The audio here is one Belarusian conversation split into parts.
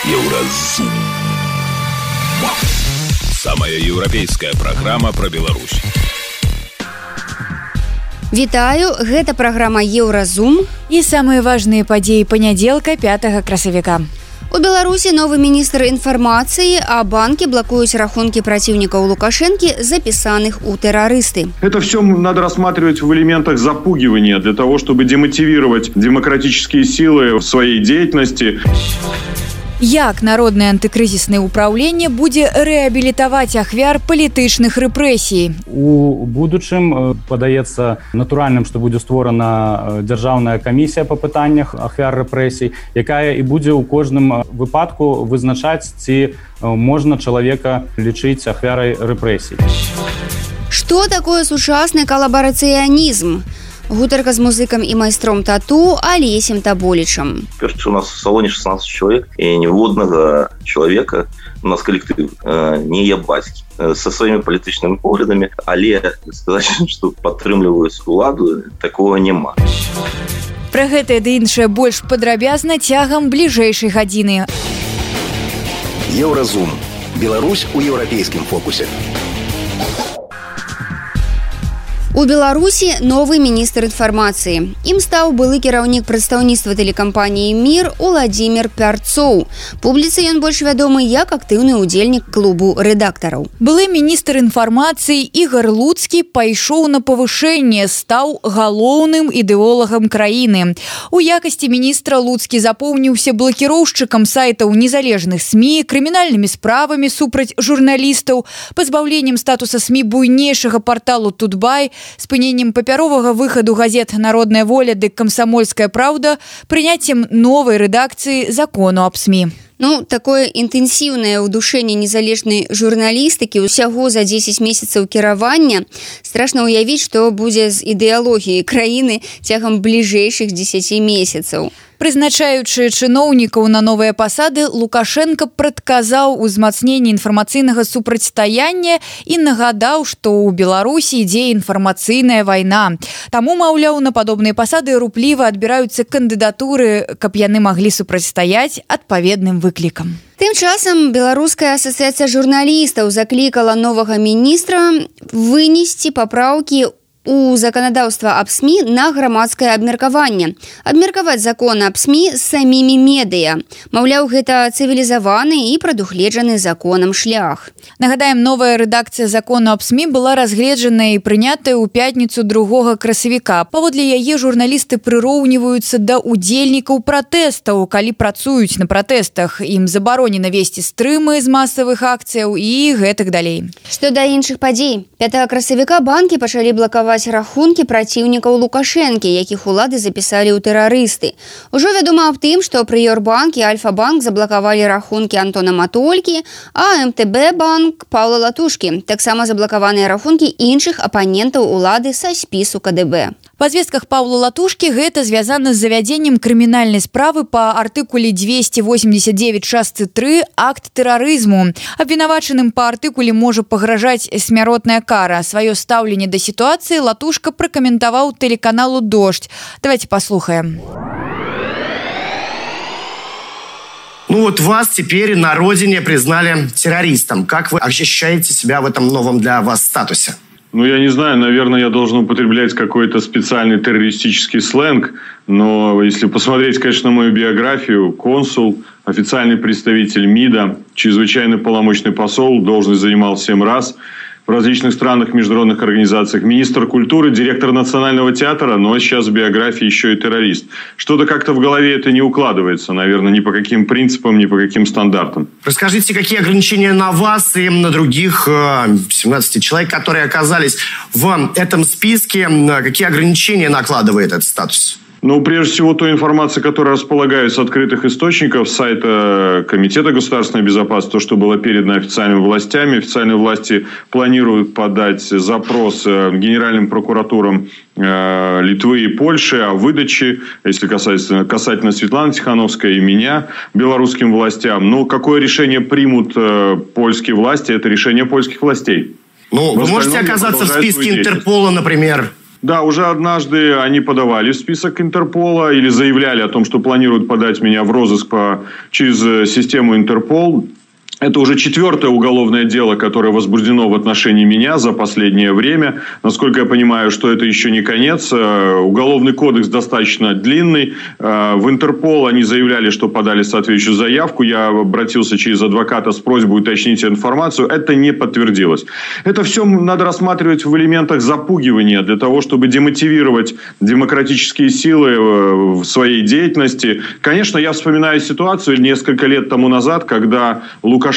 Еўразум. Самая еўрапейская праграма пра Беларусь. Вітаю, гэта праграма Еўразум. І самыя важныя падзеі панядзелка 5 красавіка. У Беларусі новы міністр інфармацыі, а банкі блокуюць рахункі праціўнікаў Лукашэнкі, запісаных у тэрарысты. Это все надо рассматривать в элементах запугивания для того, чтобы демотивировать демократические силы в своей деятельности. Як народнае антыкрызіснае ўпраўленне будзе рэабілітаваць ахвяр палітычных рэпрэсій? У будучым падаецца натуральным, што будзе створана дзяржаўная камісія па пытаннях ахвяр рэпрэсій, якая і будзе ў кожным выпадку вызначаць, ці можна чалавека лічыць ахвярай рэпрэсій. Што такое сучасны калабарацыянізм? Гутарка з музыкам і майстром тату Алесем Таболічам. У нас в салоне 16 человек, и ніводнага человека, у нас коллектив, не я бацькі, со своими политичными поглядами, але сказать, что падтрымліваюць уладу, такого няма. Пра гэта ды іншае больш падрабязна цягам бліжэйшай гадзіны. Еўразум. Беларусь у еўрапейскім фокусе. У Беларусі новы міністр інфармацыі. Ім стаў былы кіраўнік прадстаўніцтва тэлекампаніі «Мір» Уладзімір Пярцоў. Публіцы ён больш вядомы як актыўны ўдзельнік клубу рэдактараў. Былы міністр інфармацыі Ігар Луцкі пайшоў на павышэнне, стаў галоўным ідэолагам краіны. У якасці міністра Луцкі запомніўся блакіроўшчыкам сайтаў незалежных СМІ, крымінальнымі справамі супраць журналістаў, пазбаўленнем статуса СМІ буйнейшага парталу «Тутбай», спыненнем папяровага выхаду газет «Народная воля» ды «Камсамольская праўда», прыняццем новай рэдакцыі закону аб СМІ. Такое інтэнсіўнае ўдушэнне незалежнай журналістыкі ўсяго за 10 месяцаў кіравання. Страшна ўявіць, што будзе з ідэалогіяй краіны цягам бліжэйшых 10 месяцаў. Прызначаючы чыноўнікаў на новыя пасады, Лукашенко прадказаў узмацненне інфармацыйнага супрацьстаяння і нагадаў, што ў Беларусі ідзе інфармацыйная вайна. Таму, маўляў, на падобныя пасады рупліва адбіраюцца кандыдатуры, каб яны маглі супрацьстаяць адпаведным выклікам. Тым часам Беларуская асацыяцыя журналістаў заклікала новага міністра вынесці папраўкі у заканадаўства аб СМІ на грамадскае абмеркаванне. Абмеркаваць закон аб СМІ з самімі медыя. Маўляў, гэта цывілізаваны і прадугледжаны законам шлях. Нагадаем, новая рэдакцыя закону аб СМІ была разгледжаная і прынятая ў пятніцу 2 красавіка. Паводле яе журналісты прыроўніваюцца да удзельнікаў пратэстаў. Калі працуюць на пратэстах, ім забаронена весці стрымы з масавых акцыяў і гэтак далей. Што да іншых падзей. 5 красавіка банкі пачалі блакаваць рахункі праціўнікаў Лукашэнкі, якіх улады запісалі ў тэрарысты. Ужо вядома аб тым, што Прыёрбанк і Альфа-банк заблакавалі рахункі Антона Матолькі, а МТБ-банк Паўла Латушкі. Таксама заблакаваныя рахункі іншых апанентаў улады са спісу КДБ. Па звестках Паўла Латушкі гэта звязана з завядзеннем крымінальнай справы па артыкуле 289 частцы 3 акт тэрарызму. Абвінавачаным па артыкуле можа пагражаць смяротная кара. Сваё стаўленне да сітуацыі Латушка пракаментаваў тэлеканалу «Дождь». Давайте послухаем. Вас теперь на родине признали террористом. Как вы ощущаете себя в этом новом для вас статусе? Я не знаю, наверное, я должен употреблять какой-то специальный террористический сленг, но если посмотреть, конечно, на мою биографию, консул, официальный представитель МИДа, чрезвычайный полномочный посол, должность занимал 7 раз, в различных странах, международных организациях, министр культуры, директор Национального театра, но сейчас в биографии еще и террорист. Что-то как-то в голове это не укладывается, наверное, ни по каким принципам, ни по каким стандартам. Расскажите, какие ограничения на вас и на других 17 человек, которые оказались в этом списке, какие ограничения накладывает этот статус? Прежде всего, той информации, которая располагаю с открытых источников, с сайта Комитета государственной безопасности, то, что было передано официальными властями. Официальные власти планируют подать запрос генеральным прокуратурам Литвы и Польши о выдаче, если касательно Светланы Тихановской и меня, белорусским властям. Но какое решение примут польские власти, это решение польских властей. Вы можете оказаться в списке Интерпола, например? Да, уже однажды они подавали в список Интерпола или заявляли о том, что планируют подать меня в розыск через систему Интерпол. Это уже 4-е уголовное дело, которое возбуждено в отношении меня за последнее время. Насколько я понимаю, что это еще не конец. Уголовный кодекс достаточно длинный. В Интерпол они заявляли, что подали соответствующую заявку. Я обратился через адвоката с просьбой уточнить информацию. Это не подтвердилось. Это все надо рассматривать в элементах запугивания для того, чтобы демотивировать демократические силы в своей деятельности. Конечно, я вспоминаю ситуацию несколько лет тому назад, когда Лукашенко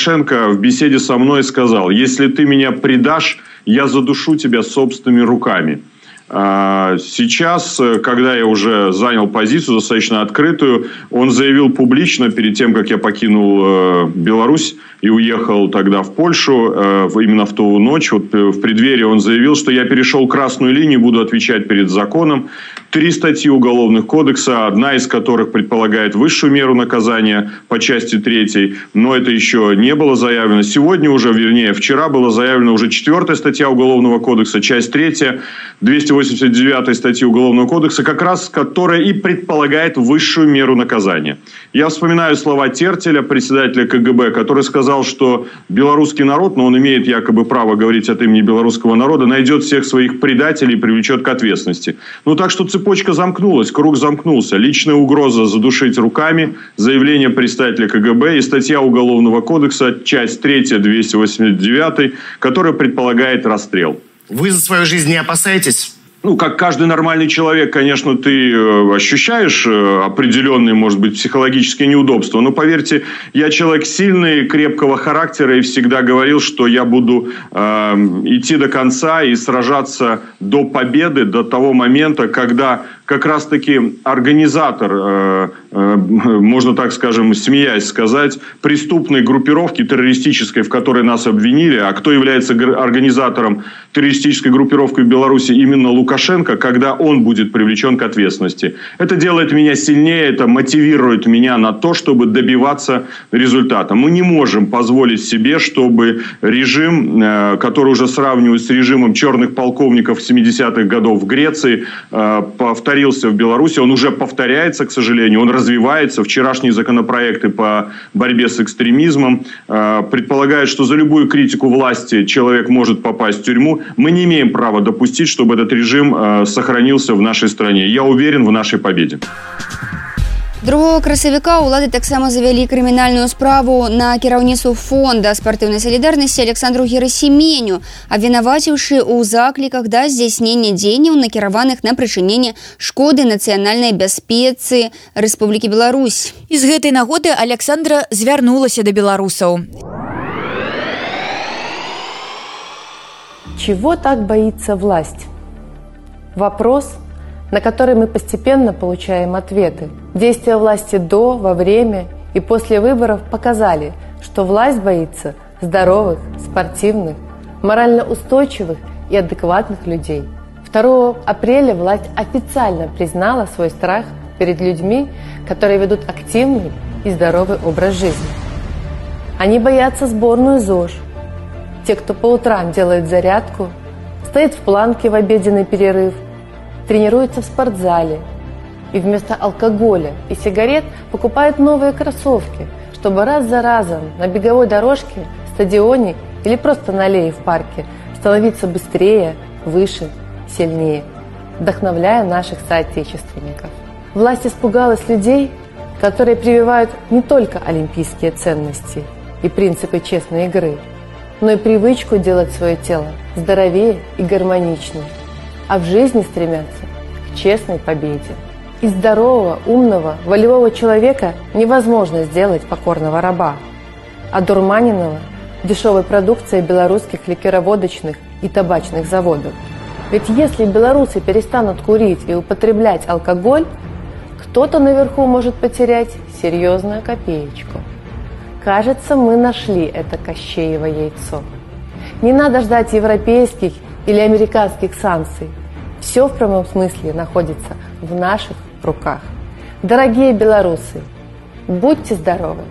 в беседе со мной сказал: если ты меня предашь, я задушу тебя собственными руками. Сейчас, когда я уже занял позицию достаточно открытую, он заявил публично, перед тем, как я покинул Беларусь и уехал тогда в Польшу, именно в ту ночь, вот в преддверии он заявил, что я перешел красную линию, буду отвечать перед законом. 3 статьи Уголовного кодекса, одна из которых предполагает высшую меру наказания по части 3, но это еще не было заявлено. Сегодня уже, вернее, вчера была заявлена уже 4-я статья Уголовного кодекса, часть 3, 289 статьи Уголовного кодекса, как раз которая и предполагает высшую меру наказания. Я вспоминаю слова Тертеля, председателя КГБ, который сказал, что белорусский народ, но он имеет якобы право говорить от имени белорусского народа, найдет всех своих предателей и привлечет к ответственности. Ну так что цепочка замкнулась, круг замкнулся. Личная угроза задушить руками, заявление представителя КГБ и статья Уголовного кодекса, часть 3, 289, которая предполагает расстрел. Вы за свою жизнь не опасаетесь? Ну, как каждый нормальный человек, конечно, ты ощущаешь определенные, может быть, психологические неудобства. Но, поверьте, я человек сильный, крепкого характера и всегда говорил, что я буду идти до конца и сражаться до победы, до того момента, когда как раз-таки организатор, можно так скажем, смеясь сказать, преступной группировки террористической, в которой нас обвинили, а кто является организатором террористической группировки в Беларуси, именно Лукашенко, когда он будет привлечен к ответственности. Это делает меня сильнее, это мотивирует меня на то, чтобы добиваться результата. Мы не можем позволить себе, чтобы режим, который уже сравнивают с режимом черных полковников 70-х годов в Греции, повторился в Беларуси. Он уже повторяется, к сожалению, он развивается. Вчерашние законопроекты по борьбе с экстремизмом предполагают, что за любую критику власти человек может попасть в тюрьму. Мы не имеем права допустить, чтобы этот режим сохранился в нашей стране. Я уверен в нашей победе. 2 красавіка ўлады таксама завялі крымінальную справу на кіраўніцтву фонда спартыўнай салідарнасці Александру Герасименю, абвінаваціўшы ў закліках да здзяйснення дзеянняў, накіраваных на прычыненне шкоды нацыянальнай бяспецы Рэспублікі Беларусь. І з гэтай нагоды Александра звярнулася да беларусаў. Чего так боится власть? Вопрос, на который мы постепенно получаем ответы. Действия власти до, во время и после выборов показали, что власть боится здоровых, спортивных, морально устойчивых и адекватных людей. 2 апреля власть официально признала свой страх перед людьми, которые ведут активный и здоровый образ жизни. Они боятся сборную ЗОЖ. Те, кто по утрам делает зарядку, стоит в планке в обеденный перерыв, тренируется в спортзале и вместо алкоголя и сигарет покупает новые кроссовки, чтобы раз за разом на беговой дорожке, стадионе или просто на аллее в парке становиться быстрее, выше, сильнее, вдохновляя наших соотечественников. Власть испугалась людей, которые прививают не только олимпийские ценности и принципы честной игры, но и привычку делать свое тело здоровее и гармоничнее, а в жизни стремятся к честной победе. Из здорового, умного, волевого человека невозможно сделать покорного раба, одурманенного дешевой продукцией белорусских ликероводочных и табачных заводов. Ведь если белорусы перестанут курить и употреблять алкоголь, кто-то наверху может потерять серьезную копеечку. Кажется, мы нашли это Кощеево яйцо. Не надо ждать европейских или американских санкций. Все в прямом смысле находится в наших руках. Дорогие белорусы, будьте здоровы,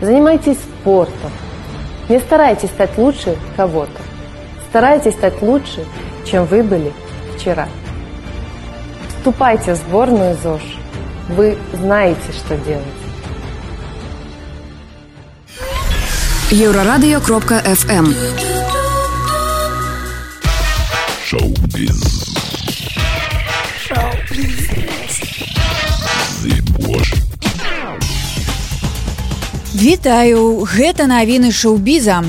занимайтесь спортом, не старайтесь стать лучше кого-то, старайтесь стать лучше, чем вы были вчера. Вступайте в сборную ЗОЖ. Вы знаете, что делать. Еврорадио.FM. Шоу-биз. Вітаю, гэта навіны шоу-біза.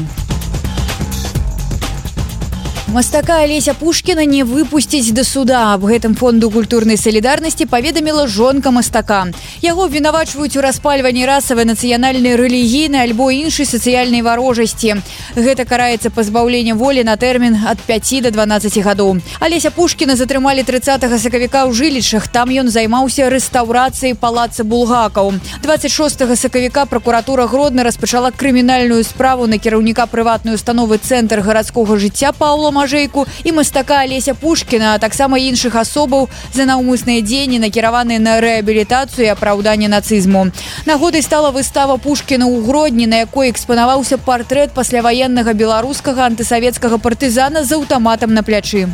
Мастака Алеся Пушкіна не выпусціць да суда. Аб гэтым фонду культурнай салідарнасці паведаміла жонка мастака. Яго абвінавачваюць у распальванні расавай, нацыянальнай, рэлігійнай альбо іншай сацыяльнай варожасці. Гэта караецца пазбаўленнем волі на тэрмін ад 5 до 12 гадоў. Алеся Пушкіна затрымалі 30 сакавіка ў Жылічах. Там ён займаўся рэстаўрацыяй палаца булгакаў. 26 сакавіка пракуратура Гродна распачала крымінальную справу на кіраўніка прыватнай установы «Цэнтр гарадскога жыцця» Паўла Мажэйку і мастака Алеся Пушкіна, а таксама іншых асобаў за наўмысныя дзеянні, накіраваныя на рэабілітацыю і апраўданне нацызму. Нагодай стала выстава Пушкіна ў Гродні, на якой экспанаваўся партрэт пасляваеннага беларускага антысавецкага партызана з аўтаматам на плячы.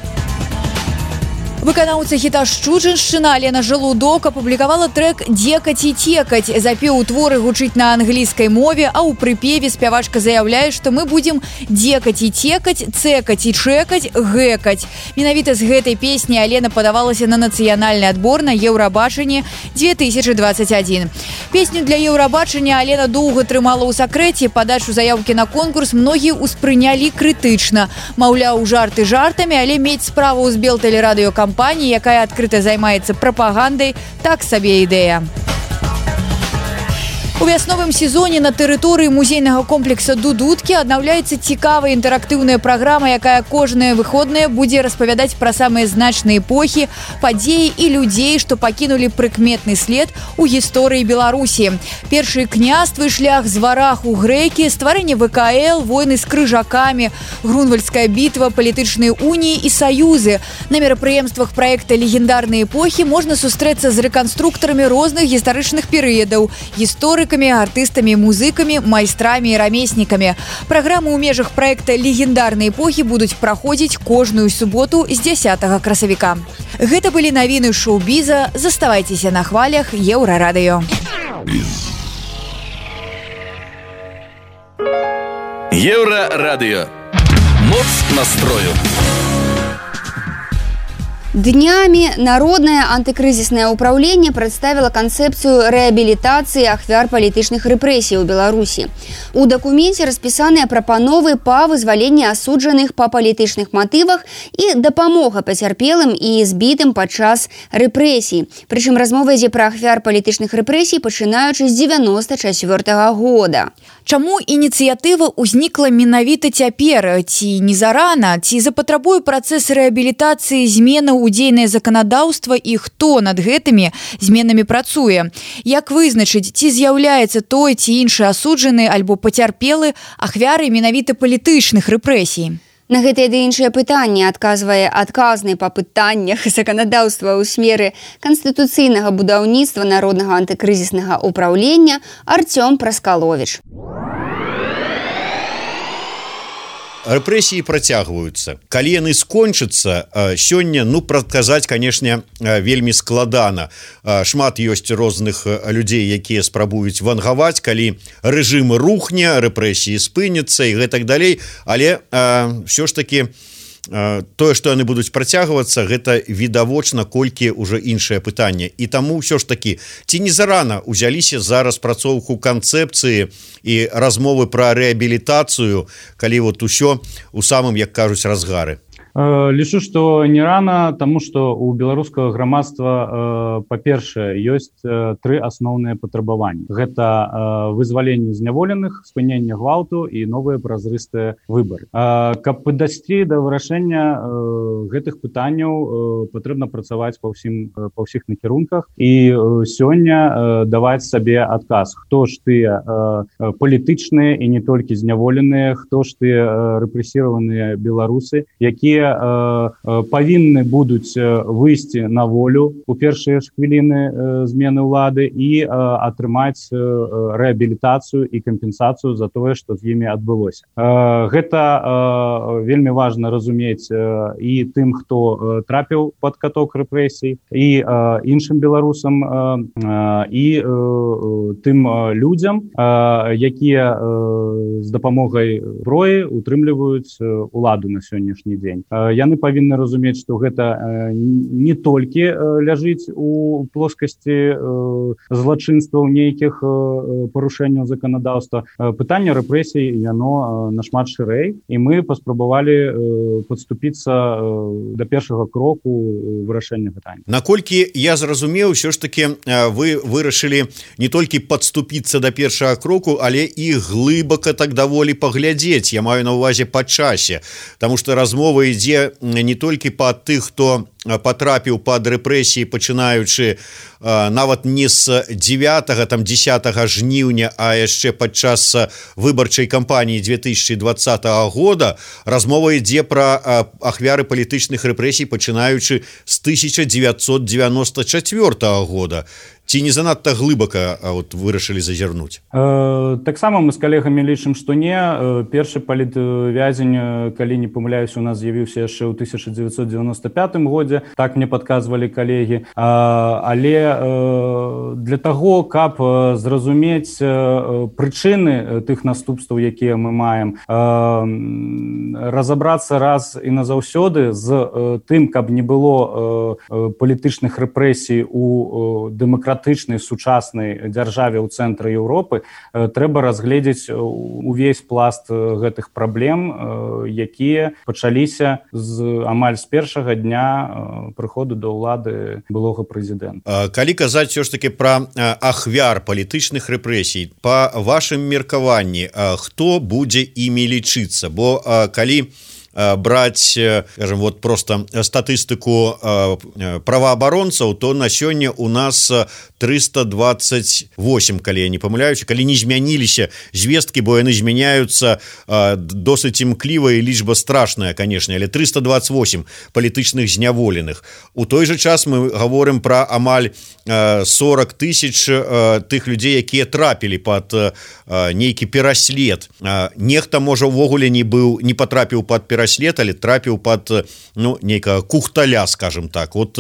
Выканаўца хіта «Шчуджаншчына» Алена Жалудок апублікавала трэк «Дзекаць і текаць». Запеў творы гучыць на англійскай мове, а ў прыпеве спявачка заяўляе, што мы будзем дзекаць і текаць, цэкаць і чэкаць, гэкаць. Менавіта з гэтай песні Алена падавалася на нацыянальны адбор на Еўрабачанне 2021. Песню для Еўрабачання Алена доўга трымала ў сакрэце. Падачу заяўкі на конкурс многія ўспрынялі крытычна. Маўляў, жарты жартамі, але мець справу з Белтэлерадыёкампаніяй, якая адкрыта займаецца прапагандай, так сабе ідэя. У вясновым сезоне на тэрыторыі музейнага комплекса «Дудуткі» аднаўляецца цікавая інтэрактыўная праграма, якая кожныя выходныя будзе распавядаць пра самыя значныя эпохі, падзеі і людзей, што пакінулі прыкметны след у гісторыі Беларусі. Першыя княствы, шлях з вараху грэкі, стварэнне ВКЛ, войны з крыжакамі, Грунвальдская бітва, палітычныя уніі і саюзы. На мерапрыемствах праекта «Легендарныя эпохі» можна сустрэцца з рэканструктарамі розных гістарычных перыядаў, гісторыкамі, артыстамі, музыкамі, майстрамі і рамеснікамі. Праграмы ў межах праекта «Легендарныя эпохі» будуць праходзіць кожную суботу з 10 красавіка. Гэта былі навіны шоу-біза. Заставайцеся на хвалях Еўрарадыё. Еврорадио. Моц настрою. Днями Народное антикризисное управление представило концепцию реабилитации ахвяр палітычных рэпрэсій у Беларуси. У документе расписаны прапановы па вызваленні асуджаных па палітычных матывах і дапамога пацярпелым і збітым падчас рэпрэсій. Прычым размова ідзе пра ахвяр палітычных рэпрэсій, пачынаючы з 94 года. Чаму ініцыятыва ўзнікла менавіта цяпер? Ці не зарана? Ці запатрабуе працэс рэабілітацыі зменаў у дзейнае заканадаўства і хто над гэтымі зменамі працуе? Як вызначыць, ці з'яўляецца той ці іншы асуджаны альбо пацярпелы ахвярай менавіта палітычных рэпрэсій? На гэтае ды іншае пытанне адказвае адказны па пытаннях заканадаўства ў сферы канстытуцыйнага будаўніцтва Народнага антыкрызіснага ўпраўлення Артём Праскаловіч. Рэпрэсіі працягваюцца. Калі яны скончацца, сёння, прадказаць, канешне, вельмі складана. Шмат ёсць розных людзей, якія спрабуюць вангаваць, калі рэжым рухне, рэпрэсіі спыняцца і гэтак далей, але ўсё ж такі тое, што яны будуць працягвацца, гэта відавочна, колькі ўжо іншае пытанне. І таму ўсё ж такі, ці не зарана ўзяліся за распрацоўку канцэпцыі і размовы пра рэабілітацыю, калі усё у самым, як кажуць, разгары? Лічу, што не рана, таму што у беларускага грамадства, па-першае, ёсць тры асноўныя патрабаванні. Гэта вызваленне зняволеных, спыненне гвалту і новыя празрыстыя выбары. Каб падысці да вырашэння гэтых пытанняў, патрэбна працаваць па ўсіх накірунках і сёння даваць сабе адказ, хто ж тыя палітычныя і не толькі зняволеныя, хто ж тыя рэпрэсіраваныя беларусы, якія павінны будуць выйсці на волю у першыя ж хвіліны змены ўлады і атрымаць рэабілітацыю і кампенсацыю за тое, што з імі адбылося. Гэта вельмі важна разумець і тым, хто трапіў пад каток рэпрэсій, і іншым беларусам, і тым людзям, якія з дапамогай зброі утрымліваюць уладу на сённяшні дзень. Яны павінны разумець, што гэта не толькі ляжыць у плоскасці злачынстваў нейкіх парушэнняў заканадаўства. Пытанне рэпрэсій, яно нашмат шырэй, і мы паспрабавалі падступіцца да першага кроку вырашэння пытання. Наколькі я зразумеў, ўсё ж таки вы вырашылі не толькі падступіцца да першага кроку, але і глыбака так даволі паглядзець, я маю на ўвазе па часе, таму што размова ідзе не толькі па тых, хто патрапіў пад рэпрэсіі, пачынаючы нават не з 9-10 жніўня, а яшчэ падчас выбарчай кампаніі 2020 года. Размова ідзе пра ахвяры палітычных рэпрэсій, пачынаючы з 1994 года. Ці не занадта глыбака вырашылі зазірнуць? Таксама мы з калегамі лічым, што не. Першы палітвязень, калі не памыляюся, у нас з'явіўся яшчэ ў 1995 годзе, так мне падказвалі калегі. Але для таго, каб зразумець прычыны тых наступстваў, якія мы маем, разабрацца раз і назаўсёды з тым, каб не было палітычных рэпрэсій у дэмакратычнай сучаснай дзяржаве ў цэнтры Еўропы, трэба разгледзець увесь пласт гэтых праблем, якія пачаліся амаль з першага дня прыходу да ўлады былога прэзідэнта. Калі казаць ўсё ж такі пра ахвяр палітычных рэпрэсій, па вашым меркаванні, хто будзе імі лічыцца? Бо калі браць, скажем, вот просто статыстыку праваабаронцаў, то на сёння у нас 328, калі я не памыляюся, калі не змяніліся звесткі, бо яны змяняюцца досыць імкліва, і лічба страшная, конечно, але 328 палітычных зняволеных. У той же час мы гаворым пра амаль 40 тысяч тых людзей, якія трапілі пад нейкі пераслед. Нехта, можа, увогуле не патрапіў пад пераслед, але трапіў пад нейкага кухталя, скажем так. Вот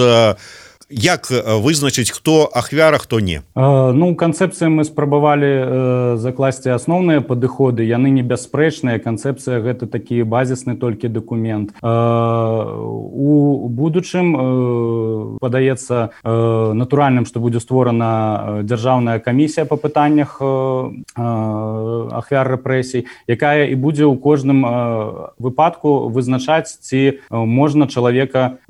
як вызначыць, хто ахвяра, хто не? Ну, канцэпцыі мы спрабавалі закласці асноўныя падыходы, яны не бясспрэчныя. Канцэпцыя гэта такі базісны толькі дакумент. У будучым падаецца натуральным, што будзе створана дзяржаўная камісія па пытаннях ахвяр рэпрэсій, якая і будзе ў кожным выпадку вызначаць, ці можна чалавека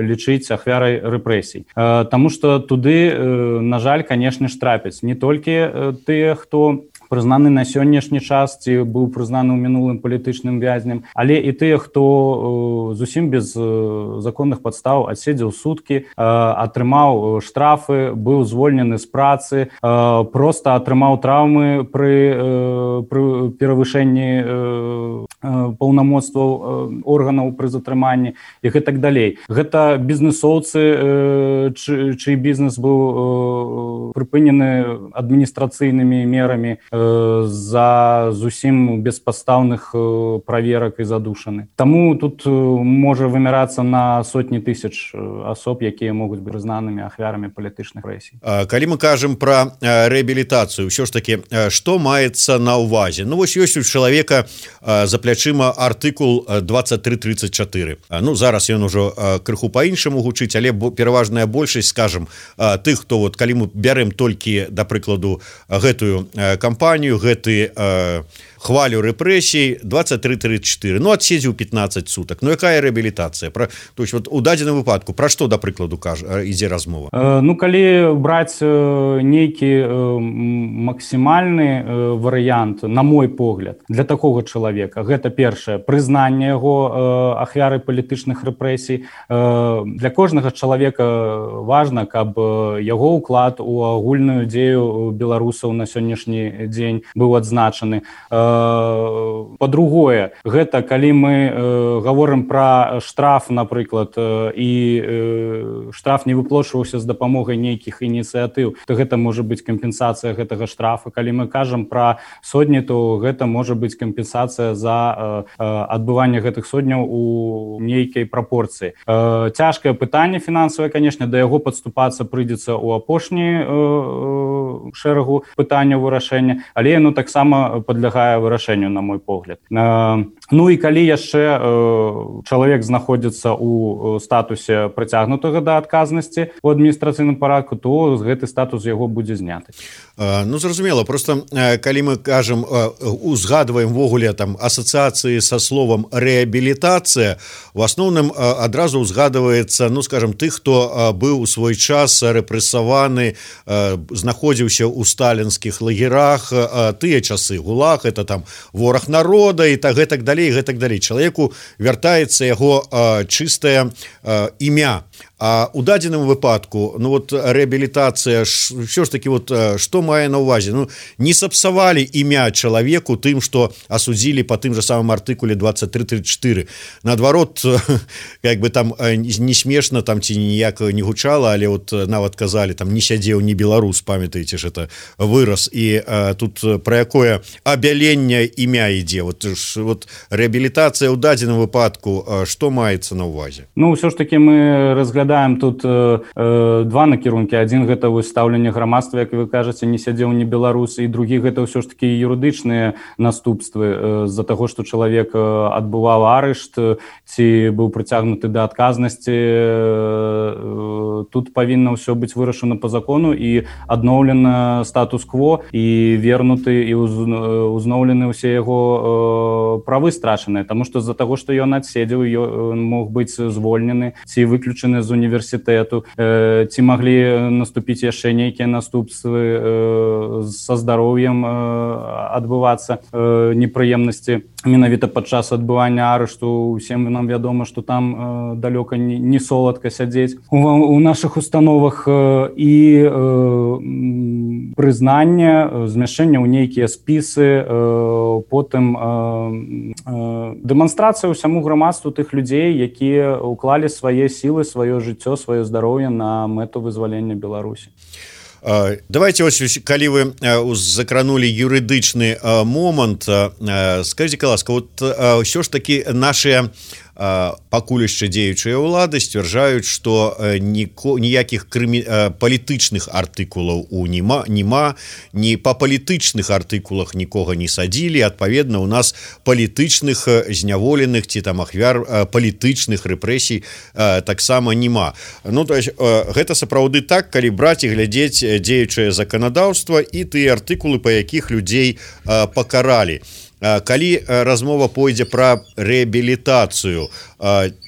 лічыць ахвярай рэпрэсій. Таму што туды, на жаль, канешне ж, трапяць не толькі тыя, хто прызнаны на сённяшні час, ці быў прызнаны ў мінулым палітычным вязнем, але і тыя, хто зусім без законных падстаў адседзеў суткі, атрымаў штрафы, быў звольнены з працы, проста атрымаў траўмы пры перавышэнні паўнамоцтваў органаў пры затрыманні і гэтак далей. Гэта бізнесоўцы, чый бізнес быў прыпынены адміністрацыйнымі мерамі за зусім беспадстаўных праверак і задушаны. Таму тут можа вымярацца на сотні тысяч асоб, якія могуць быць прызнанымі ахвярамі палітычных рэпрэсій. Калі мы кажам пра рэабілітацыю, ўсё ж такі, што маецца на ўвазе? Ну, вось ёсць у чалавека за плячыма артыкул 2334. Ну, зараз ён ужо крыху па-іншаму гучыць, але пераважная большасць, скажам, тых, хто, вот, калі мы бярем толькі, да прыкладу, гэтую кампанію, гэты хвалю рэпрэсій, 2334, ну, адседзеў 15 сутак. Ну, якая рэабілітацыя? То есть, вот, у дадзеным выпадку, пра што, да прыкладу, ідзе размова? Ну, калі браць нейкі максімальны варыянт, на мой погляд, для такога чалавека, гэта першае, прызнанне яго ахвяры палітычных рэпрэсій. Для кожнага чалавека важна, каб яго ўклад у агульную дзею беларусаў на сённяшні дзень быў адзначаны. Па-другое, гэта калі мы гаворым пра штраф, напрыклад, і штраф не выплачваўся з дапамогай нейкіх ініцыятыў, то гэта можа быць кампенсацыя гэтага штрафа. Калі мы кажам пра сотні, то гэта можа быць кампенсацыя за адбыванне гэтых сотняў у нейкай прапорцыі. Цяжкае пытанне фінансавае, канешне, да яго падступацца прыйдзецца ў апошні шэрагу пытанняў вырашэння, але яно таксама падлягае вырашэнню, на мой погляд. Ну і калі яшчэ чалавек знаходзіцца ў статусе прыцягнутага да адказнасці ў адміністрацыйным парадку, то гэты статус яго будзе зняты. Ну, зразумела, просто калі мы кажам, узгадваем ввогуле там асацыяцыі са словам рэабілітацыя, в асноўным адразу узгадваецца, ну, скажем, тых, хто быў у свой час рэпрэсаваны, знаходзіўся ў сталінскіх лагерах, тыя часы ГУЛАГ, это там вораг народа і так далей, чалавеку вяртаецца яго чыстае імя. А у дадзеным выпадку, ну вот рэабілітацыя, ўсё ж таки вот што мае на ўвазе? Ну, не сапсавалі імя чалавеку тым, што асудзілі па тым же самым артыкуле 23-34. Наадварот, як бы там не смешна там ці ніяк не гучала, але вот нават казалі, там не сядзеў не беларус, памятаеце ж, это выраз. І тут пра якое абяленне імя ідзе. Вот рэабілітацыя ў дадзеным выпадку, што маецца на ўвазе? Ну, ўсё ж таки мы разглядаем тут два накірункі. Адзін гэта стаўленне грамадства, як вы кажаце, не сядзеў не беларус, і другі гэта ўсё ж таки юрыдычныя наступствы з-за таго, што чалавек адбываў арышт ці быў прыцягнуты да адказнасці. Тут павінна ўсё быць вырашана па закону і адноўлена статус-кво і вернуты і узноўлены ўсе яго правы страчаныя, таму што з-за таго, што ён адседзеў, ён мог быць звольнены ці выключаны з універсітэту, ці маглі наступіць яшчэ нейкія наступствы са здароўем адбывацца непрыемнасці менавіта падчас адбывання арышту. Усім нам вядома, што там далёка не соладка сядзець у нашых установах, і прызнанне, змяшчэнне ў нейкія спісы, потым дэманстрацыя ўсяму грамадству тых людзей, якія ўклалі свае сілы, сваё жыццё, сваё здароўе на мэту вызвалення Беларусі. Давайте, ось, калі вы закранули юрыдычны момант, скажите, ласка, вот ўсё ж таки наши пакуль яшчэ дзеючыя ўлады сцвярджаюць, што ніякіх палітычных артыкулаў няма, ні па палітычных артыкулах нікога не садзілі, адпаведна у нас палітычных зняволеных ці там ахвяр палітычных рэпрэсій таксама няма. Ну, то есть гэта сапраўды так, калі браць і глядзець дзеючае заканадаўства і тыя артыкулы, па якіх людзей пакаралі. Калі размова пойдзе пра рэабілітацыю,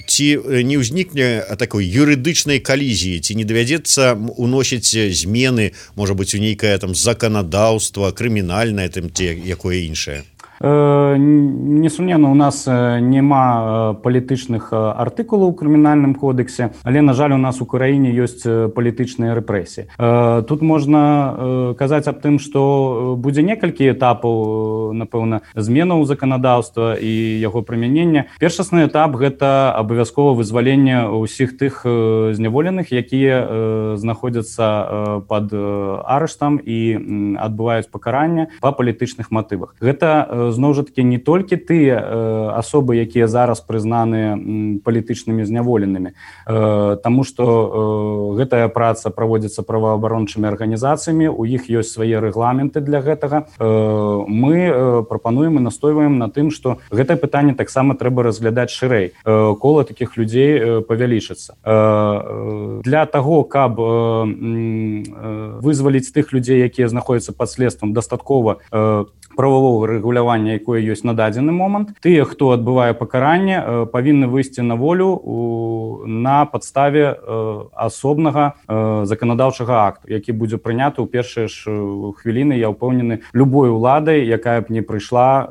ці не ўзнікне такой юрыдычнай калізіі, ці не давядзецца уносіць змены, можа быць, у нейкае там заканадаўства, крымінальнае, там ці якое іншае? Несумненна, у нас няма палітычных артыкулаў у крымінальным кодексе, але, на жаль, у нас у краіне ёсць палітычныя рэпрэсіі. Тут можна казаць аб тым, што будзе некалькі этапаў, напэўна, зменаў заканадаўства і яго прымянення. Першасны этап – гэта абавязкова вызваленне ўсіх тых зняволеных, якія знаходзяцца пад арыштам і адбываюць пакаранне па палітычных матывах. Гэта зноў жа такі не толькі тыя асобы, якія зараз прызнаныя палітычнымі зняволенымі, таму што гэтая праца праводзіцца праваабарончымі арганізацыямі, у іх ёсць свае рэгламенты для гэтага. Мы прапануем і настойваем на тым, што гэтае пытанне таксама трэба разглядаць шырэй. Кола такіх людзей павялічыцца. Для таго, каб вызваліць тых людзей, якія знаходзяцца пад следствам, дастаткова правового рэгулявання, якое ёсць на дадзены момант. Тыя, хто адбывае пакаранне, павінны выйсці на волю на падставе асобнага заканадаўчага акту, які будзе прыняты ў першыя ж хвіліны, я ўпэўнены, любой уладай, якая б не прыйшла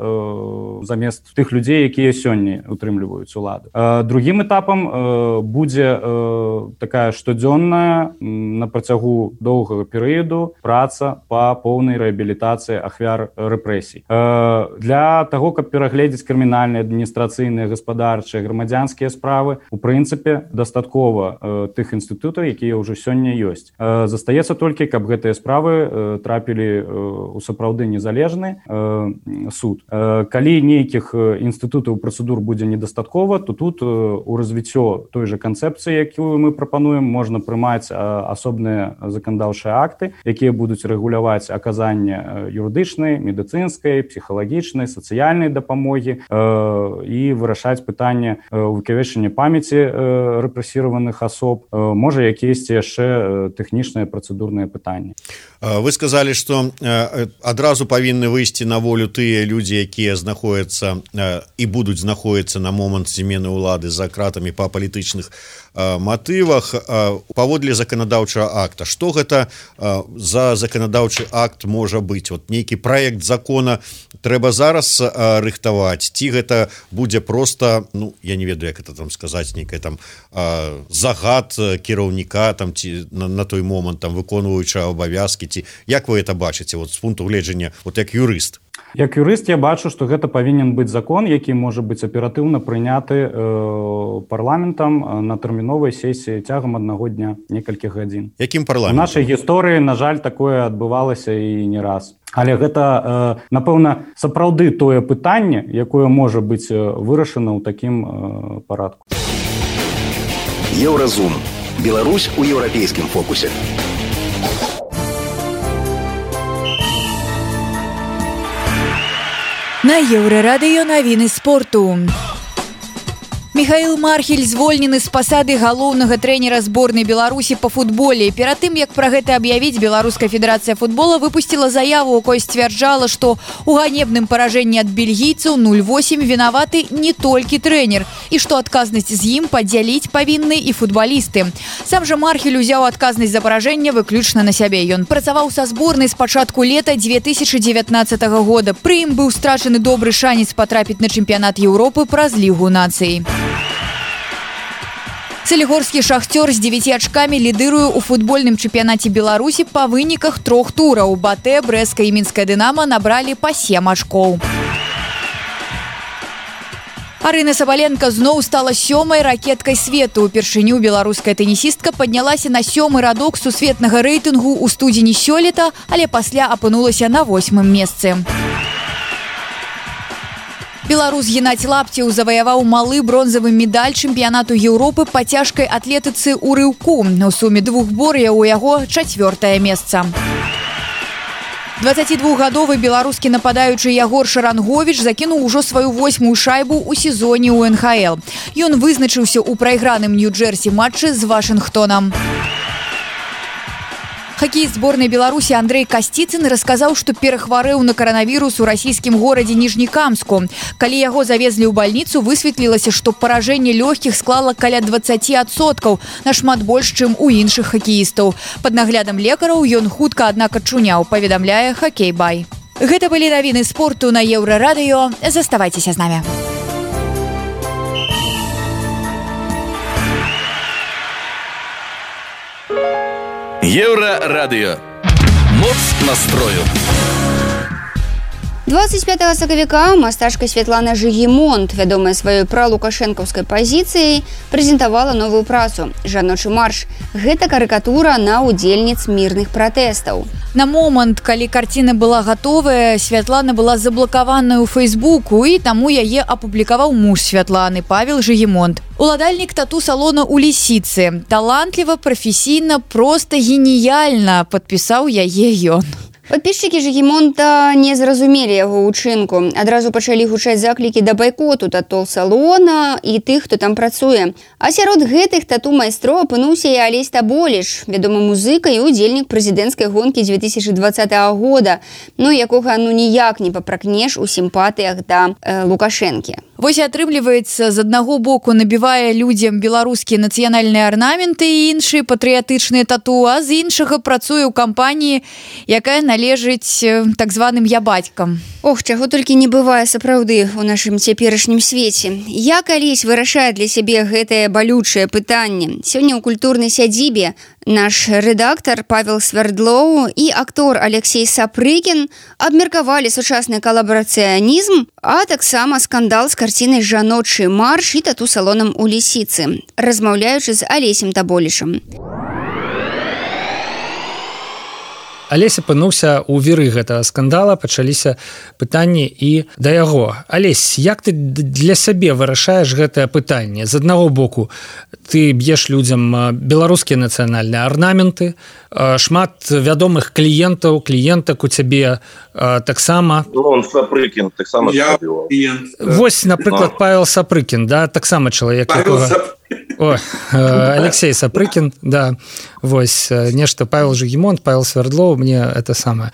замест тых людзей, якія сёння утрымліваюць уладу. Другім этапам будзе такая штодзённая на працягу доўгага перыяду праца па поўнай рэабілітацыі ахвяр рэпрэсій. рэпрэсій. Для таго, каб перагледзець крымінальныя, адміністрацыйныя, гаспадарчыя, грамадзянскія справы, у прынцыпе, дастаткова тых інстытутаў, якія ўжо сёння ёсць. Застаецца толькі, каб гэтыя справы трапілі у сапраўды незалежны суд. Калі нейкіх інстытутаў працэдур будзе недастаткова, то тут у развіццё той жа канцэпцыі, якую мы прапануем, можна прымаць асобныя заканадаўчыя акты, якія будуць рэгуляваць аказанне юрыдычнай, медыцынскай, псіхалагічнай, сацыяльнай дапамогі і вырашаць пытанне увекавечання памяці рэпрэсіраваных асоб, можа якіясьці яшчэ тэхнічныя працэдурныя пытанні. Вы сказалі, што адразу павінны выйсці на волю тыя людзі, якія знаходзяцца і будуць знаходзіцца на момант змены ўлады за кратамі па палітычных матывах. Паводле заканадаўчага акта, што гэта за заканадаўчы акт можа быць? Вот нейкі праект закона трэба зараз рыхтаваць, ці гэта будзе проста, ну, я не ведаю, як это там сказаць, нейкая там загад кіраўніка там ці на той момант там выконваючы абавязкі, ці як вы это бачыце вот з пункту гледжання, вот як юрыст? Як юрыст я бачу, што гэта павінен быць закон, які можа быць аператыўна прыняты парламентам на тэрміновай сесіі цягам аднаго дня, некалькіх гадзін. Якім парламентам? У нашай гісторыі, на жаль, такое адбывалася і не раз. Але гэта, напэўна, сапраўды тое пытанне, якое можа быць вырашана ў такім парадку. Еўразум. Беларусь у еўрапейскім фокусе. На Еўрарадыё навіны спорту. Михаил Мархель звольнены з пасады галоўнага трэнера зборнай Беларусі па футболе. Перад тым, як пра гэта аб'явіць, Беларуская федэрацыя футбола выпусціла заяву, у якой сцвярджала, што у ганебным паражэнні ад бельгійцаў 0-8 вінаваты не толькі трэнер, і што адказнасць з ім падзяліць павінны і футбалісты. Сам жа Мархель узяў адказнасць за паражэнне выключна на сябе. Ён працаваў са зборнай з пачатку лета 2019 года. Пры ім быў страчаны добры шанец патрапіць на чэмпіянат Еўропы праз Лігу нацый. Салігорскі «Шахтёр» з 9 ачкамі лідыруе ў футбольным чэмпіянаце Беларусі па выніках 3 тураў. Батэ, Брэстка і Мінская «Дынама» набралі па 7 ачкоў. Арына Сабаленка зноў стала 7-й ракеткай свету. Упершыню беларуская тэнісістка паднялася на 7-й радок сусветнага рэйтынгу ў студзені сёлета, але пасля апынулася на 8-м месцы. Беларус Геннадзь Лапцеў заваяваў малы бронзавы медаль чэмпіянату Еўропы па цяжкай атлетыцы ў рыўку. У суме 2 бор'яў у яго 4-е месца. 22-гадовы беларускі нападаючы Ягор Шаранговіч закінуў ужо сваю 8-ю шайбу ў сезоне ў НХЛ. Ён вызначыўся ў прайграным Нью-Джерсі матчы з Вашынгтонам. Хакеіст зборнай Беларусі Андрэй Касціцын расказаў, што перахварэў на каранавірус у расійскім горадзе Ніжнекамску. Калі яго завезлі ў бальніцу, высветлілася, што паражэнне лёгкіх склала каля 20%, нашмат больш, чым у іншых хакеістаў. Пад наглядам лекараў ён хутка, аднак, ачуняў, паведамляе Хакей Бай. Гэта былі навіны спорту на Еўрарадыё. Заставайцеся з намі. Еўрарадыё. Моц настрою. 25 сакавіка мастачка Святлана Жыгімонт, вядомая сваёй пралукашэнкаўскай пазіцыяй, прэзентавала новую працу «Жаночы марш». Гэта карыкатура на удзельніц мірных пратэстаў. На момант, калі карціна была гатовая, Святлана была заблакаваная ў Фейсбуку, і таму яе апублікаваў муж Святланы, Павел Жыгімонт. Уладальнік тату-салона ў Лісіцы. Талантліва, прафесійна, проста геніяльна, падпісаў яе ён. Падпісчыкі Жыгімонта не зразумелі яго ўчынку. Адразу пачалі гучаць заклікі да байкоту тату-салона і тых, хто там працуе. А сярод гэтых тату-майстроў апынуўся і Алесь Таболіч, вядомы музыка і удзельнік прэзідэнцкай гонкі 2020 года, якога ніяк не папракнеш у сімпатыях да Лукашэнкі. Вось атрымліваецца, з аднаго боку набівае людзям беларускія нацыянальныя арнаменты і іншыя патрыятычныя тату, а з іншага працуе ў кампаніі, якая належыць так званым ябацькам. Ох, чаго толькі не бывае сапраўды ў нашым цяперашнім свеце. Я калісь вырашаю для сябе гэтае балючае пытанне. Сёння ў культурнай сядзібе наш рэдактар Павел Свердлоў і актор Алексей Сапрыкін абмеркавалі сучасны калабарацыянізм, а таксама скандал з карцінай «Жаночы марш» і тату-салонам у Лісіцы, размаўляючы з Алесем Таболішам. Алесь апынуўся ў віры гэтага скандала, пачаліся пытанні і да яго. Алесь, як ты для сябе вырашаеш гэтае пытанне? З аднаго боку, ты б'еш людзям беларускія нацыянальныя арнаменты, шмат вядомых кліентак у цябе таксама. Он Сапрыкін, таксама. Вось, напрыклад, Павел Сапрыкін, да, таксама чалавек, якога... О, Алексей Сапрыкін, да, вось, нешта Павел Жигімонт, Павел Свердлоў, мне это самае.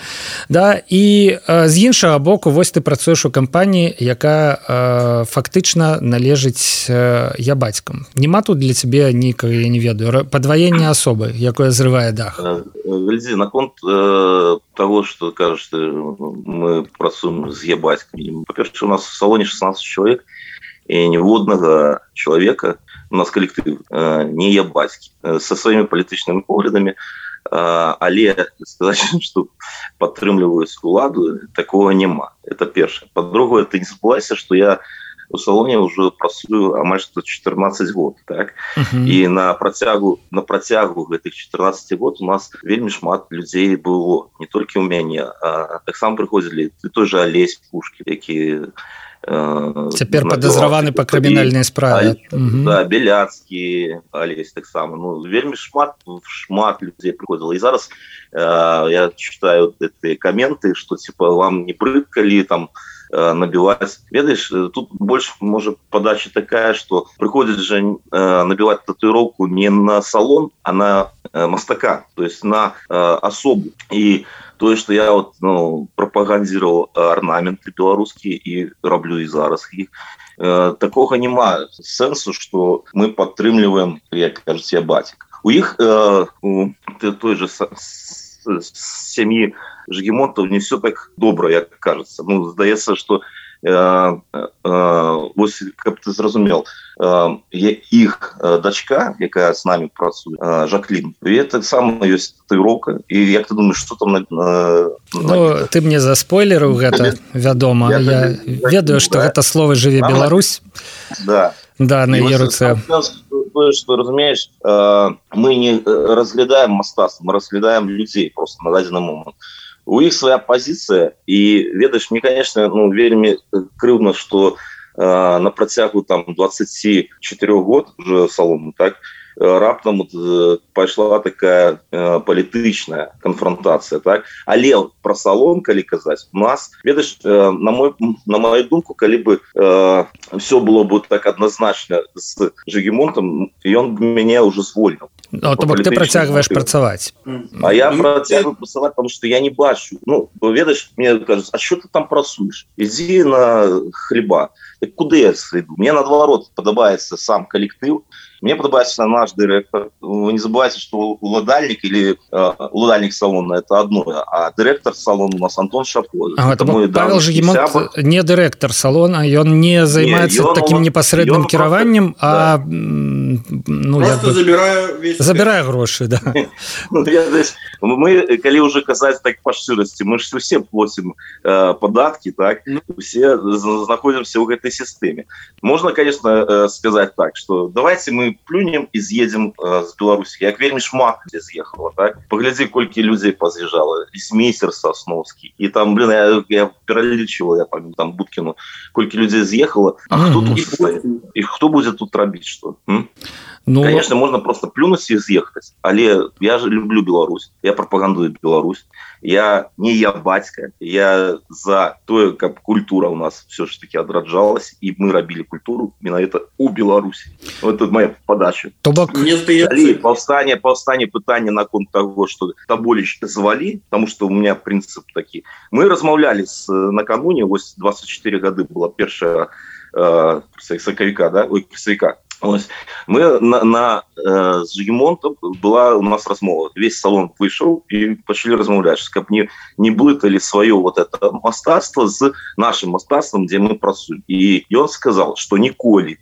Да, і з іншага боку, вось ты працуеш у кампаніі, якая фактычна належыць ябацькам. Нема тут для цябе нейкага, я не ведаю, падваення асобы, якое зрывае дах? Глядзі, наконт того, что кажаш, мы працуем з ябацькамі. Па-першае, у нас в салоне 16 человек, и ніводнага человека, у нас коллектив не ябацькі, со своими палітычнымі поглядамі, але сказаць, что падтрымліваюць уладу, такого няма. Это первое. По-другое, ты не забывайся, что я у салоне уже працую амаль что 14 год, так? И на працягу гэтых 14 год у нас вельмі шмат людзей было, не толькі у мяне, а таксама прыходзілі той же Алесь Пушкін, які цяпер падазраваны па крымінальнай справе. Да, Беляцкі, Алесь таксама. Ну, вельмі шмат людзей прыходзіла. І зараз я читаю эти комменты, что типа вам не брыдка ли там набивать. Ведаешь, тут больше может подача такая, что приходит же набивать татуировку не на салон, а на мастака, то есть на особу. И то, что я вот, пропагандировал орнаменты белорусские и роблю и зараз их, такого нема сенсу, что мы падтрымліваем, як кажуць, ябацік. У іх у той же сям'і Жигімонтаў не все так добра, як кажется. Ну, здаецца, что вось, каб ты зразумел, іх дачка, якая с нами працуе, Жаклін, і это сама ёсць татуіроўка. І як ты думаешь, что там Ну, ты мне заспойлерыў гэта, вядома. Я ведаю, што гэта слово «Жыве Беларусь». Да. Да, на яе руцэ. Что, разумеешь, мы не разглядаем мастацтва, мы разглядаем людей просто на дадзены момент. У іх своя позиция, и, ведаешь, мне, конечно, вельмі крыўдна, что на працягу там 24 год уже салону, так, раптам пайшла такая палітычная канфронтацыя, так? Але про салон, калі казаць, у нас, ведаеш, на мою думку, калі бы все было бы так однозначно с Жигімонтом, ён бы мяне уже звольніў. Ну, то бок ты працягваеш працаваць. А я працягваю працаваць, потому что я не бачу. Ну, ведаеш, мне кажуць, а что ты там працуеш? Ідзі на хлеба. Так куды я сойду? Мне наадварот падабаецца сам коллектив. Мне падабаецца наш директор. Вы не забывайте, что уладальник или уладальник салона это одно, а директор салона у нас Антон Шапко. Павел Жигімонт не директор салона, ён не займаецца таким непасрэдным кіраваннем, а просто забирае грошы, да. Мы, калі уже казаць так по шчырасці, мы ж усе платим податки, так? Все находимся в этой системе. Можно, конечно, сказать так, что давайте мы плюнем и съедем с Беларусі. Як вельмі шмат людей з'ехало, так? Погляди, колькі людей позъезжало. Лісмейстер Сосновский. И там, я перелічивал, я помню, там Будкину, колькі людей з'ехало. А кто тут будет? И кто будет тут робить что? Ну, конечно, можно просто плюнуть и съехать. Але я же люблю Беларусь. Я пропагандую Беларусь. Я не ябацька. Я за то, как культура у нас все-таки отраджалась. И мы робили культуру именно это у Беларуси. Вот это моя подача. Повстание пытания на конт того, что Таболіч звали, потому что у меня принцип такие. Мы размаўляли накануне, 24 года была первая сакавіка, да? Ой, красавіка. Мы з Жигімонтом была у нас размова. Весь салон выйшаў і пачалі размаўляць, каб не блыталі сваё вот это мастацтва з нашим мастацтвам, дзе мы працуем. І ён сказал, што ніколі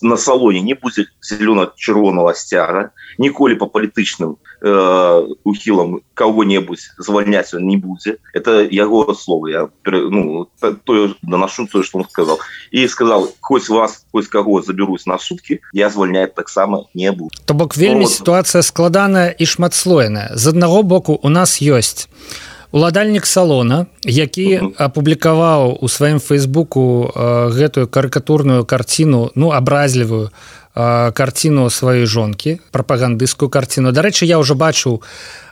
на салоне не будзе зелёна-чырвонага сцяга, ніколі по палітычным ухілам кого-небудзь звальняць он не будзе. Это яго словы. Я доношу тое, што он сказал. І сказал, хоць вас, хоць каго забяруць на суткі, я звальняць таксама не буду. То бок вельмі сітуацыя складаная і шматслойная. З аднаго боку у нас ёсць уладальнік салона, які апублікаваў у сваім фейсбуку гэтую карыкатурную карціну, абразлівую карціну сваёй жонкі, прапагандысцкую карціну. Дарэчы, я ўжо бачыў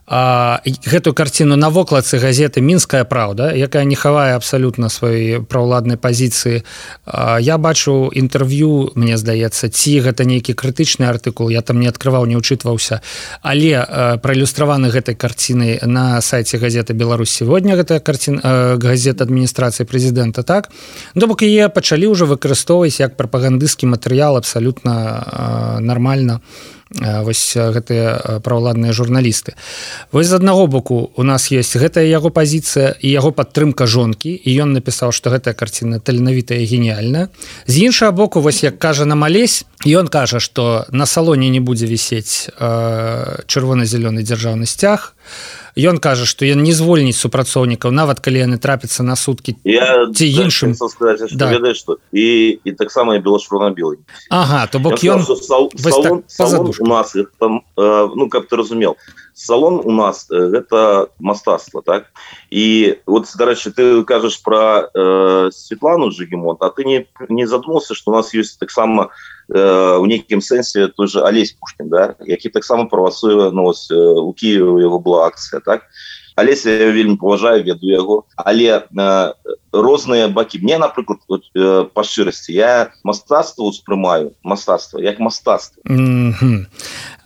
гэтую карціну на вокладцы газеты «Мінская праўда», якая не хавае абсалютна сваёй праўладнай пазіцыі. Я бачу інтэрв'ю, мне здаецца, ці гэта нейкі крытычны артыкул, я там не адкрываў, не ўчытваўся, але праілюстраваны гэтай карцінай на сайце газеты «Беларусь сегодня», гэта газета адміністрацыі прэзідэнта, так? То бок яе пачалі ўжо выкарыстоўваць як прапагандысцкі матэрыял абсалютна нармальна. Вось гэтыя праўладныя журналісты. Вось з аднаго боку у нас ёсць гэтая яго пазіцыя і яго падтрымка жонкі, і ён напісаў, што гэтая карціна таленавітая і геніяльная. З іншага боку, вось як кажа нам Алесь, ён кажа, што на салоне не будзе вісець чырвона-зялёны дзяржаўны сцяг. Ён кажа, што ён не звольніць супрацоўнікаў, нават калі яны трапяцца на суткі ці іншым. І таксама і бело-чырвона-белый. Ага, то бок ён салон у нас, каб ты разумел, салон у нас гэта мастацтва, так? І вот, дарэчы, ты кажаш пра Светлану Жигімонт, а ты не задумаўся, што у нас ёсць таксама у нейкім сэнсе той же Алесь Пушкін, да? Які таксама правасуе, у Киеве яго была акцыя, так? Алесь я вельмі паважаю, ведаю яго, але розныя бакі. Мне, напрыклад, па шчырасці, я мастацтва ўспрымаю, мастацтва, як мастацтва.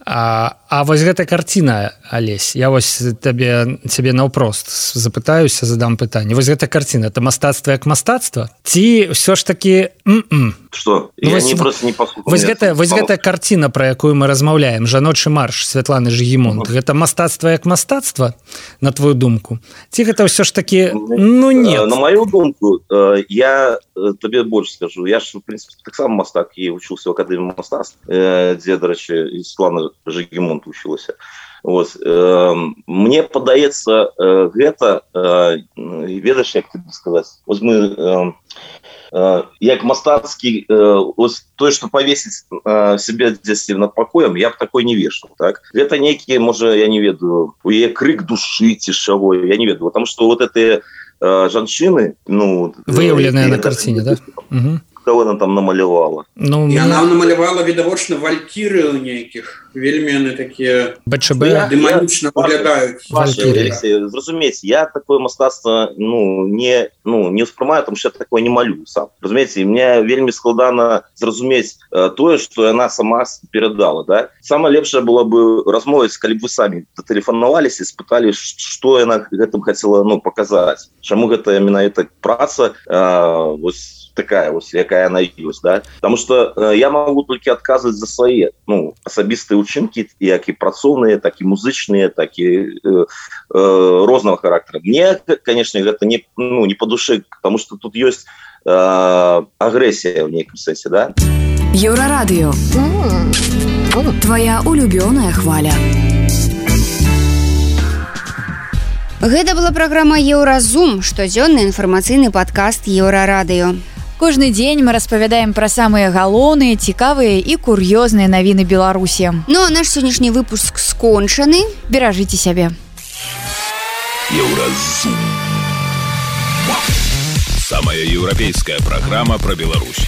А вось гэта карціна, Алесь, я вось цябе наўпрост запытаюся, задам пытанне. Вось гэта карціна, это мастацтва як мастацтва? Ці ўсё ж такі... Што? Я просто не паслухаў. Вось гэтая карціна, пра якую мы размаўляем, жаночы марш Святланы Жигімонт, гэта мастацтва як мастацтва, на твою думку? Ці гэта ўсё ж такі, нет? На мою думку, я табе больш скажу. Я ж, в принципе, таксама мастак і вучыўся ў акадэміі мастацтв, дзе, дарэчы, Светлана Жигімонт учылася. Мне падаецца, гэта, ведаеш, як тебе сказаць, вось мы... як мастацкі, тое, што павесіць себе дзесь над пакоем, я б такой не вешал, так? Гэта нейкі, можа, я не ведаю, у яе крык душы ці чаго, я не ведаю, потому что вот гэтыя жанчыны, выяўленыя на карціне, да? Кого она там намалявала? Яна намалявала, відавочна, валькіры нейкіх. Вельмі яны такія дэманічна выглядаюць. Зразумееце, я такое мастацтва не ўспрымаю, тому што я такое не малюю сам. Разумееце, мне вельмі складана зразумець тое, што яна сама перадала, да? Самае лепшае было бы размовіць, калі б вы самі тэлефанаваліся і спыталі, што яна гэтым хацела паказаць. Чаму гэта менавіта праца такая, якая яна ёсць, да? Потому что я могу толькі адказваць за свае, асабістыя учынкі, як і працоўныя, так і музычныя, так і рознага характара. Мне, конечно, гэта не по душе, потому что тут ёсць агрэсія в нейкім сэнсе, да? Еўрарадыё. Твоя улюбёная хваля. Гэта была праграма «Еўразум», штодзённы інфармацыйны падкаст «Еўрарадыё». Кожны дзень мы распавядаем пра самыя галоўныя, цікавыя і кур'ёзныя навіны Беларусі. Ну а наш сённяшні выпуск скончаны. Беражыце сябе. Еўразум. Самая еўрапейская праграма пра Беларусь.